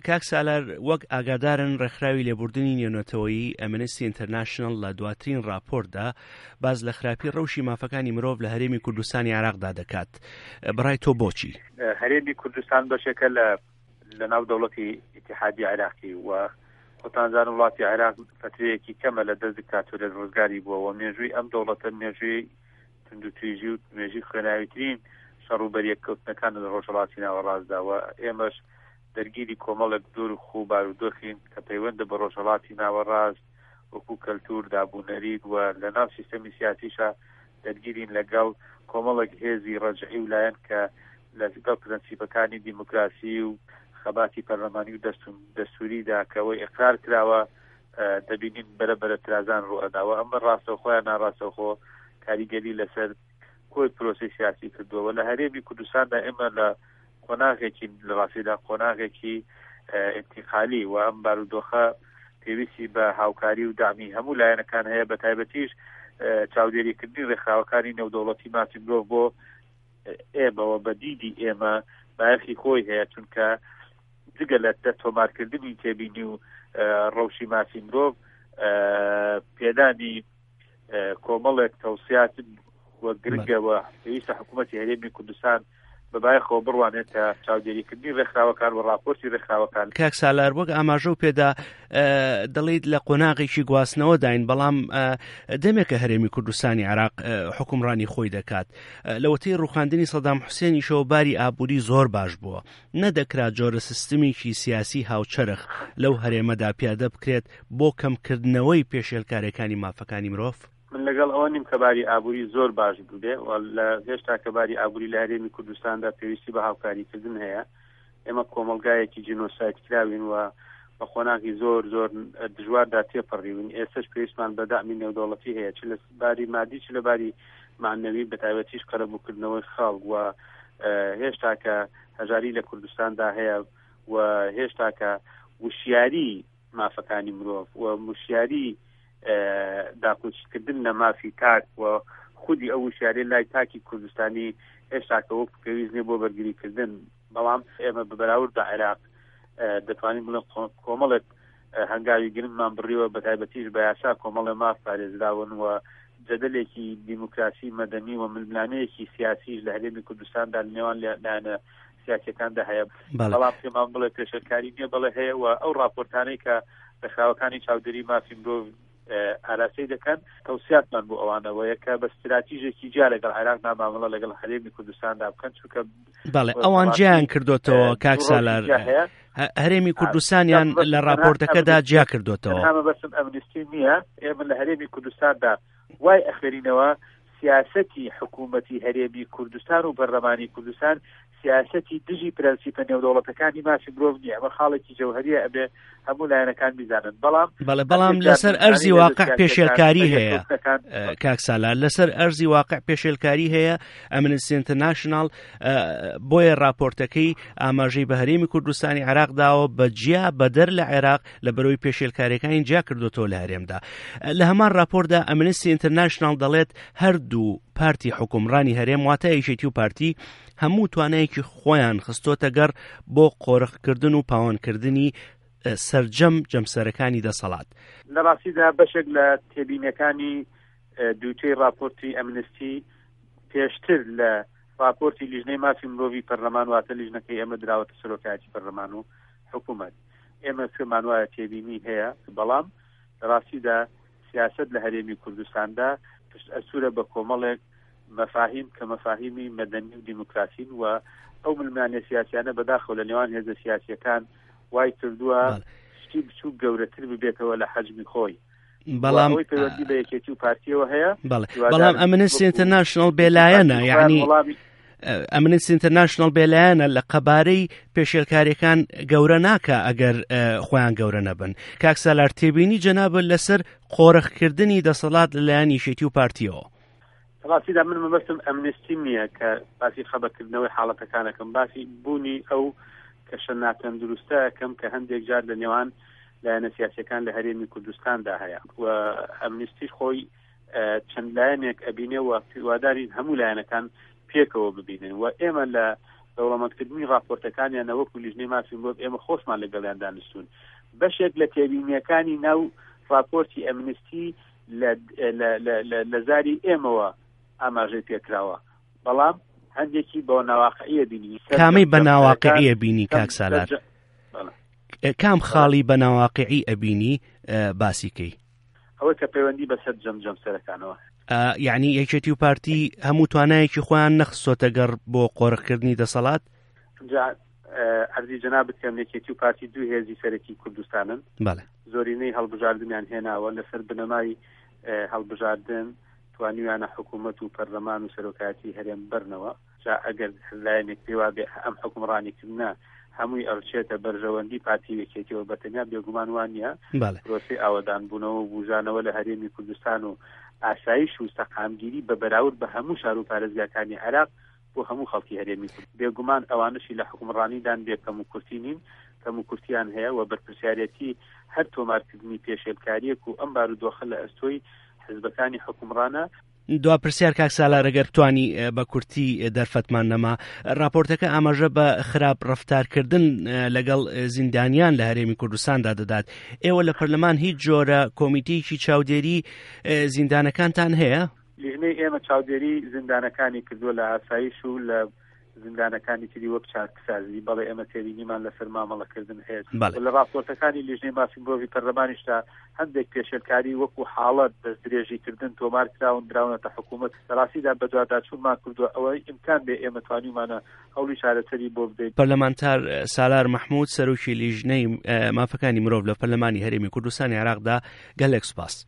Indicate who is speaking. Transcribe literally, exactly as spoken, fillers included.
Speaker 1: کاک سالار، وەک ئاگادارن ڕێکخراوی لێبوردنی نێونەتەوەیی ئەمنستی ئینتەرناشناڵ لە دواترین ڕاپۆرتدا باس لە خراپی ڕەوشی مافەکانی مرۆڤ لە هەرێمی کوردستانی عێراقدا دەکات. بەڕای تۆ بۆچی؟
Speaker 2: هەرێمی کوردستان بەشێکە لە لەناو دەوڵەتی ئیتیحادی عێراقی و خۆتان زان وڵاتی عێراق فترەیەکی کەمە لە دەست دیکتاتۆریەت ڕزگاری بووە و مێژووی ئەم دەوڵەتە مێژووی توندوتیژی و مێژووی خوێناویترین شەڕ و بەریەککەوتنەکان لە ڕۆژهەڵاتی ناوەڕاستدا و ئێمەش دەرگیری کۆمەڵێک دوور و بارودۆخین کە پەیوەندە بە ڕۆژهەڵاتی ناوەڕاست وەکو کەلتور، دابوونەریت و لە ناو سیستەمی سیاسیشا دەرگیرین لەگەڵ کۆمەڵێک هێزی ڕەجعی و لایەن کە لەگەڵ پرەنسیپەکانی دیموکراسی و خەباتی پەرلەمانی و دەستووریدا کە ئەوەی ئیقرار کراوە دەبینین بەرە بەرە ترازان ڕوئەداوە. ئەمە ڕاستەوخۆ یان ناڕاستەوخۆ کاریگەری لەسەر کۆی پرۆسەی سیاسی کردووە. لە هەرێمی کوردستاندا ئێمە لە قۆناغێکی لە ڕاستیدا قۆناغێکی ئینتیقالی و ئەم بارودۆخە پێویستی بە هاوکاری و دامی هەموو لایەنەکان هەیە، بە تایبەتیش چاودێریکردنی ڕێکخراوەکانی نێودەوڵەتی مافی مرۆڤ بۆ ئێمەوە بە دیدی ئێمە بایەخی خۆی هەیە، چونکە جگە لە تۆمارکردنی تێبینی و ڕەوشی مافی مرۆڤ پێدانی کۆمەڵێک تەوسیات و گرنگەوە پێویستە حکوومەتی هەرێمی کوردستان بەبایەخەوە بڕوانێت کە چاودێریکردنی ڕێکخراوەکان و ڕاپۆرتی ڕێکخراوەکان.
Speaker 1: کاک سالار، وەک ئاماژە و پێدا دەڵێیت لە قۆناغێکی گواستنەوەداین، بەڵام دەمێکە هەرێمی کوردستانی عێراق حکومڕانی خۆی دەکات. لەوەتەی ڕوخاندنی سەدام حوسێنیشەوە باری ئابووری زۆر باش بووە، نەدەکرا جۆرە سیستمێکی سیاسی هاوچەرخ لەو هەرێمەدا پیادە بکرێت بۆ کەمکردنەوەی پێشێلکاریەکانی مافەکانی مرۆڤ؟
Speaker 2: من لەگەڵ ئەوە نیم کە باری ئابووری زۆر باش بووبێ و لە هێشتا کە باری ئابووری لە هەرێمی کوردستاندا پێویستی بە هاوکاریکردن هەیە. ئێمە کۆمەڵگایەکی جینۆساید کراوین و بە قۆناغی زۆر زۆر دژواردا تێپەڕیوین. ئێستاش پێویستمان بە دامی نێودەوڵەتی هەیە، چ لە باری مادی چ لە باری معنەوی، بە تایبەتیش قەرەبووکردنەوەی خەڵک و هێشتا کە هەژاری لە کوردستاندا هەیە و هێشتا کە وشیاری مافەکانی مرۆڤ و وشیاری داکۆکیکردن لە مافی تاک و خودی ئەو وشیاری لای تاکی کوردستانی هێشتا کە وەک پێویست نییە بۆ بەرگریکردن. بەڵام ئێمە بە بەراورد بە عێراق دەتوانین بڵێن کۆمەڵێک هەنگاوی گرنگمان بڕیوە، بە تایبەتیش بە یاسا کۆمەڵێ ماف پارێزراون و جەدەلێکی دیموکراسی مەدەنی و ململانەیەکی سیاسیش لە هەرێمی کوردستاندا لە نێوان لایەنە سیاسیەکاندا هەیە. بەڵام پێمان بڵێ پێشێلکاری نییە، بەڵێ هەیە و ئەو ڕاپۆرتانەی کە ڕێکخراوەکانی چاودێری مافی مرۆڤ ئاراستەی دەکەن تەوسیاتمان بۆ ئەوانەوەیە کە بە ستراتیژێکی جیا لەگەڵ عێراقدا مامەڵە لەگەڵ هەرێمی کوردستاندا بکەن، چونکە
Speaker 1: بەڵێ ئەوان جیان کردوتەوە کاک سالار، هەرێمی کوردستانیان لە راپۆرتەکەدا جیا کردوتەوە.
Speaker 2: مەبەستم ئەمنستی نییە، ئێمە لە هەرێمی کوردستاندا وای ئەخوێنینەوە سیاسەتی حکوومەتی هەرێمی کوردستان و پەرلەمانی کوردستان سیاسەتی دژی پرەنسیپە نێودەوڵەتەکانی مافی مرۆڤ نییە. ئەمە خاڵێکی جەوهەریە، ئەبێ هەموو لایەنەکان بیزانن. بەڵام
Speaker 1: بەڵێ بەڵام لەسەر ئەرزی واقع پێشێلکاری هەیە کاک سالار، لەسەر ئەرزی واقع پێشێلکاری هەیە. ئەمنستی ئینتەرناشناڵ بۆیە راپۆرتەکەی ئاماژەی بە هەرێمی کوردستانی عێراق داوە بە جیا بەدەر لە عێراق لە بەرەوەی پێشێلکاریەکانی جیا کردوتەوە لە هەرێمدا. لە هەمان راپۆرتدا ئەمنستی ئینتەرناشناڵ دەڵێت هەردوو پارتی حکومڕانی هەرێم واتە یەکێتی و پارتی هەموو توانایەکی خۆیان خستۆتە گەڕ بۆ قۆرخکردن و پاوانکردنی سەرجەم جەمسەرەکانی دەسەڵات.
Speaker 2: لە ڕاستیدا بەشێک لە تێبینەکانی دووتەی راپۆرتی ئەمنستی پێشتر لە راپۆرتی لیژنەی مافی مرۆڤی پەرلەمان واتە لیژنەکەی ئێمە دراوەتە سەرۆکایەتی پەرلەمان و حکوومەت. ئێمە پێمان وایە تێبینی هەیە، بەڵام لە ڕاستیدا سیاسەت لە هەرێمی کوردستاندا پشت ئەسوورە بە کۆمەڵێک مەفاهیم کە مەفاهیمی مەدەنی و دیموکراسین و ئەو ململانێ سیاسیانە بەداخەوە لە نێوان هێزە سیاسیەکان وای کردووە شتی بچووک گەورەتر ببێتەوە لە حەجمی خۆی.
Speaker 1: بەڵام
Speaker 2: ئەوەی پەیوەندی بە یەکێتی و پارتیەوە هەیە،
Speaker 1: بەڵام ئەمنستی ئینتەرناشناڵ بێلایەنە، یعنی ئەمنستی ئینتەرناشناڵ بێلایەنە لە قەبارەی پێشێلکاریەکان گەورە ناکە ئەگەر خۆیان گەورە نەبن. کاک سالار، تێبینی جەنابت لەسەر قۆرخکردنی دەسەڵات لەلایەن یەکێتی و پارتیەوە؟
Speaker 2: ڕاستیدا من مەبەستم ئەمنستی نییە کە باسی خەبەکردنەوەی حاڵەتەکانەکەم، باسی بوونی ئەو کەشە ناتەندروستەکەم کە هەندێک جار لە نێوان لایەنە سیاسیەکان لە هەرێمی کوردستاندا هەیە و ئەمنستیش خۆی چەند لایەنێک ئەبینێ و هیوادارین هەموو لایەنەکان پێکەوە ببینن و ئێمە لە دەوڵەمەندکردنی ڕاپۆرتەکانیانە وەکو لیژنەی مافی مرۆڤ ئێمە خۆشمان لەگەڵیان دانیشتوون. بەشێک لە تێبینیەکانی ناو ڕاپۆرتی ئەمنستی لە زاری ئێمەوە ئاماژەی پێکراوە، بەڵام هەندێکی بە ناواقعیە بینی.
Speaker 1: کامی بە ناواقعیە بینی کاک سالار؟ کام خاڵی بە ناواقعی ئەبینی باسی کەی؟
Speaker 2: ئەوەی کە پەیوەندی بەسەر جەم جەمسەرەکانەوە.
Speaker 1: یعنی یەکێتی و پارتی هەموو توانایەکی خۆیان نەخستۆتە گەڕ بۆ قۆرخکردنی دەسەڵات؟
Speaker 2: عەرزی جەنابت کەم، یەکێتی و پارتی دوو هێزی سەرەکی کوردستانن.
Speaker 1: بەڵێ.
Speaker 2: زۆرینەی هەڵبژاردنیان هێناوە، لەسەر بنەمای هەڵبژاردن توانیویانە حکوومەت و پەرلەمان و سەرۆکایەتی هەرێم بەرنەوە. جا ئەگەر لایەنێک پێوا بێ ئەم حکومڕانیکردنە هەمووی ئەڕچێتە بەرژەوەندی پارتی یەکێتیەوە بەتەنیا بێگومان وانە. پرۆسەی ئاوەدانبوونەوە و بوژانەوە لە هەرێمی کوردستان و ئاسایش و سەقامگیری بە بەراورد بە هەموو شار و پارێزگاکانی عێراق بۆ هەموو خەڵکی هەرێمی کورد. بێگومان ئەوانشی لە حکومڕانیدان بێ کەم و کورتی نین، کەم و کورتیان هەیە و بەرپرسیارەتی هەر تۆمارکردنی پێشێلکاریەک و ئەم بارودۆخە لە ئەستۆی حزبەکانی حکومڕانە.
Speaker 1: دوا پرسیار کاک سالار، ئەگەر بتانی بە کورتی دەرفەتمان نەما، راپۆرتەکە ئاماژە بە خراپ ڕفتارکردن لەگەڵ زیندانیان لە هەرێمی کوردستاندا دەدات. ئێوە لە پەرلەمان هیچ جۆرە کۆمیتەیەکی چاودێری زیندانەکانتان هەیە؟
Speaker 2: لیژنەی ئێمە چاودێری زیندانەکانی کردووە لە ئاسایش و لە زیندانەکانی تری وەک چاکسازی. بەڵێ ئێمە تێبینیمان لەسەر مامەڵەکردن هەیە. لە راپۆرتەکانی لیژنەی مافی مرۆڤی پەرلەمانیشدا هەندێک پێشێلکاری وەکو حاڵەت دەستدرێژیکردن تۆمار کراون دراونەتە حکوومەت. لە ڕاستیدا بەدواداچوونمان کردووە، ئەوەی ئیمکان بێ ئێمە توانیومانە هەوڵی چارەسەری بۆ بدەین.
Speaker 1: پەرلەمانتار سالار مەحمود، سەرۆکی لیژنەی مافەکانی مرۆڤ لە پەرلەمانی هەرێمی کوردستانی عێراقدا، گەلێک سوپاس.